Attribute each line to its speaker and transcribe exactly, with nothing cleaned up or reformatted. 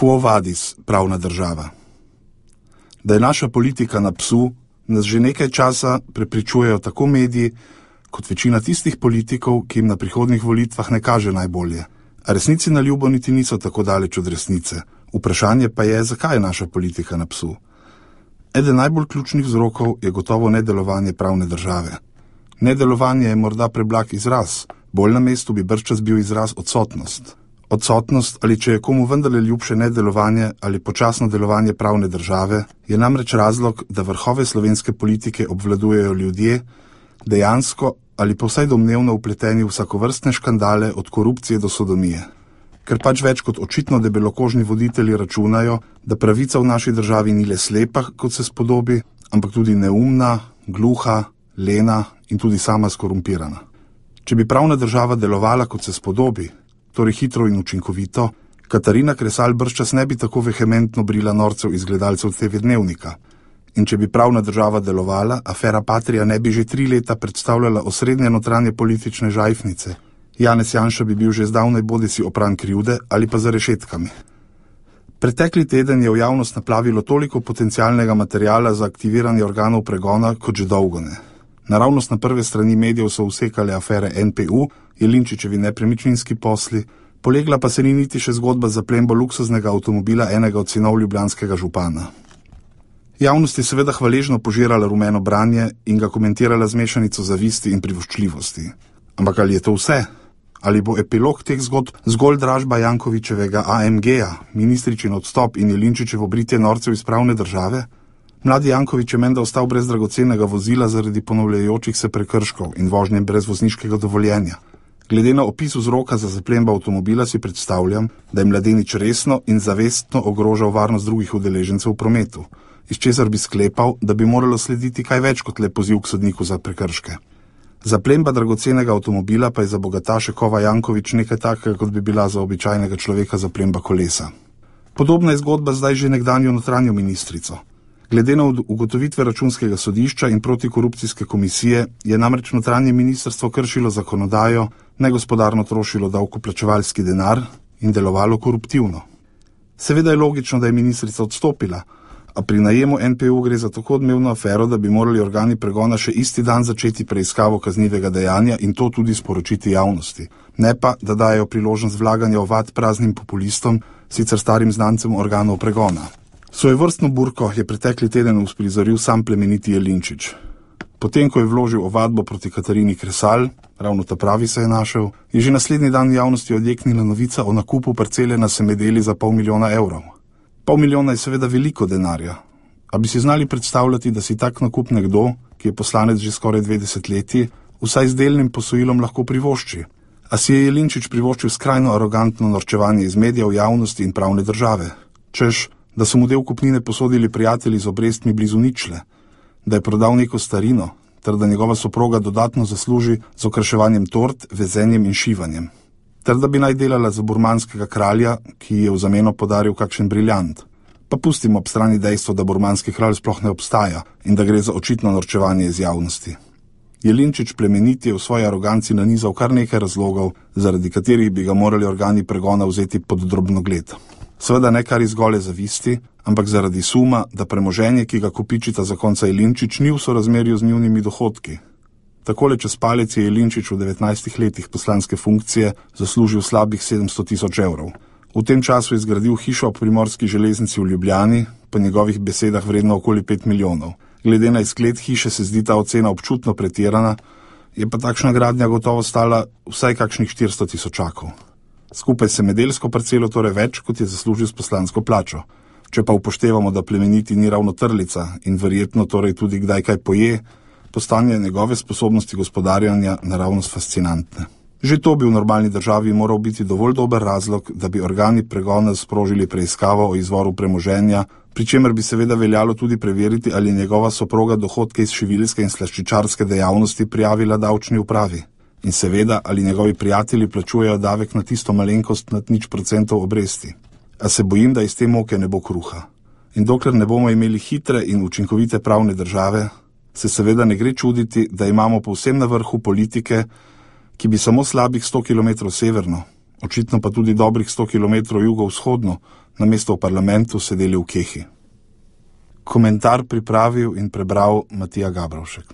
Speaker 1: Quo vadis, pravna država? Da je naša politika na psu, nas že nekaj časa prepričujejo tako mediji, kot večina tistih politikov, ki jim na prihodnjih volitvah ne kaže najbolje. A resnici na ljubo niti niso tako daleč od resnice. Vprašanje pa je, zakaj je naša politika na psu. Eden najbolj ključnih vzrokov je gotovo nedelovanje pravne države. Nedelovanje je morda preblag izraz, bolj na mestu bi bržčas bil izraz odsotnost. Odsotnost, ali če je komu vendarle ljubše nedelovanje ali počasno delovanje pravne države, je namreč razlog, da vrhove slovenske politike obvladujejo ljudje, dejansko ali pa vsaj domnevno vpleteni v vsakovrstne škandale od korupcije do sodomije. Ker pač več kot očitno debelokožni voditelji računajo, da pravica v naši državi ni le slepa, kot se spodobi, ampak tudi neumna, gluha, lena in tudi sama skorumpirana. Če bi pravna država delovala, kot se spodobi, torej hitro in učinkovito, Katarina Kresal bržčas ne bi tako vehementno brila norcev iz gledalcev te ve Dnevnika. In če bi pravna država delovala, afera Patria ne bi že tri leta predstavljala osrednje notranje politične žajfnice. Janez Janša bi bil že zdavnaj bodisi opran krivde ali pa za rešetkami. Pretekli teden je v javnost naplavilo toliko potencialnega materiala za aktiviranje organov pregona, kot že dolgo ne. Naravnost na prve strani medijev so usekale afere en pe u, Jelinčičevi nepremičninski posli, polegla pa se ni niti še zgodba za plembo luksuznega avtomobila enega od sinov ljubljanskega župana. Javnost je seveda hvaležno požirala rumeno branje in ga komentirala z mešanico zavisti in privoščljivosti. Ampak ali je to vse? Ali bo epilog teh zgodb zgolj dražba Jankovićevega a em ge-ja, ministričin odstop in Jelinčičevo britje norcev iz pravne države? Mladi Janković je menda ostal brez dragocenega vozila zaradi ponavljajočih se prekrškov in vožnje brez vozniškega dovoljenja. Glede na opis vzroka za zaplembo avtomobila si predstavljam, da je mladenič resno in zavestno ogrožal varnost drugih udeležencev v prometu, iz česar bi sklepal, da bi moralo slediti kaj več kot le poziv k sodniku za prekrške. Zaplemba dragocenega avtomobila pa je za bogataše Kova Janković nekaj takega, kot bi bila za običajnega človeka zaplemba kolesa. Podobna je zgodba zdaj že nekdanjo notranjo ministrico. Glede na ugotovitve računskega sodišča in protikorupcijske komisije je namreč notranje ministrstvo kršilo zakonodajo, negospodarno trošilo davkoplačevalski denar in delovalo koruptivno. Seveda je logično, da je ministrica odstopila, a pri najemu en pe u gre za tako odmevno afero, da bi morali organi pregona še isti dan začeti preiskavo kaznivega dejanja in to tudi sporočiti javnosti. Ne pa, da dajo priložnost vlaganja ovad praznim populistom, sicer starim znancem organov pregona. Svojevrstno burko je pretekli teden uprizoril sam plemeniti Jelinčič. Potem, ko je vložil ovadbo proti Katarini Kresal, ravno ta pravi se je našel, je že naslednji dan v javnosti odjeknila novica o nakupu parcele na Semedeli za pol milijona evrov. Pol milijona je seveda veliko denarja, a bi si znali predstavljati, da si tak nakup nekdo, ki je poslanec že skoraj dve desetletji, vsaj z delnim posojilom lahko privošči. A si je Jelinčič privoščil skrajno arogantno norčevanje iz medijev, javnosti in pravne države. Češ, da so mu del kupnine posodili prijatelji z obrestmi blizu ničle, da je prodal neko starino, ter da njegova soproga dodatno zasluži z okraševanjem tort, vezenjem in šivanjem. Ter da bi naj delala za burmanskega kralja, ki je v zameno podaril kakšen briljant. Pa pustimo ob strani dejstvo, da burmanski kralj sploh ne obstaja in da gre za očitno norčevanje iz javnosti. Jelinčič plemeniti je v svoji aroganci nanizal kar nekaj razlogov, zaradi katerih bi ga morali organi pregona vzeti pod drobnogled. Seveda ne kar iz gole zavisti, ampak zaradi suma, da premoženje, ki ga kopičita zakonca Jelinčič, ni v sorazmerju z njunimi dohodki. Takole čez palec je Jelinčič v devetnajstih letih poslanske funkcije zaslužil slabih sedemsto tisoč evrov. V tem času je zgradil hišo ob Primorski železnici v Ljubljani, po njegovih besedah vredno okoli pet milijonov. Glede na izgled hiše se zdi ta ocena občutno pretirana, je pa takšna gradnja gotovo stala vsaj kakšnih štiristo tisočakov. Skupaj se medelsko parcelo torej več, kot je zaslužil s poslansko plačo. Če pa upoštevamo, da plemeniti ni ravno trlica in verjetno torej tudi kdaj kaj poje, postanje njegove sposobnosti gospodarjanja naravnost fascinantne. Že to bi v normalni državi moral biti dovolj dober razlog, da bi organi pregona sprožili preiskavo o izvoru premoženja, pri čemer bi seveda veljalo tudi preveriti, ali je njegova soproga dohodke iz šiviljske in slaščičarske dejavnosti prijavila davčni upravi. In seveda, ali njegovi prijatelji plačujejo davek na tisto malenkost nad nič procentov obresti. A se bojim, da iz te moke ne bo kruha. In dokler ne bomo imeli hitre in učinkovite pravne države, se seveda ne gre čuditi, da imamo povsem na vrhu politike, ki bi samo slabih sto kilometrov severno, očitno pa tudi dobrih sto kilometrov jugovzhodno, namesto v parlamentu sedeli v kehi. Komentar pripravil in prebral Matija Gabrovšek.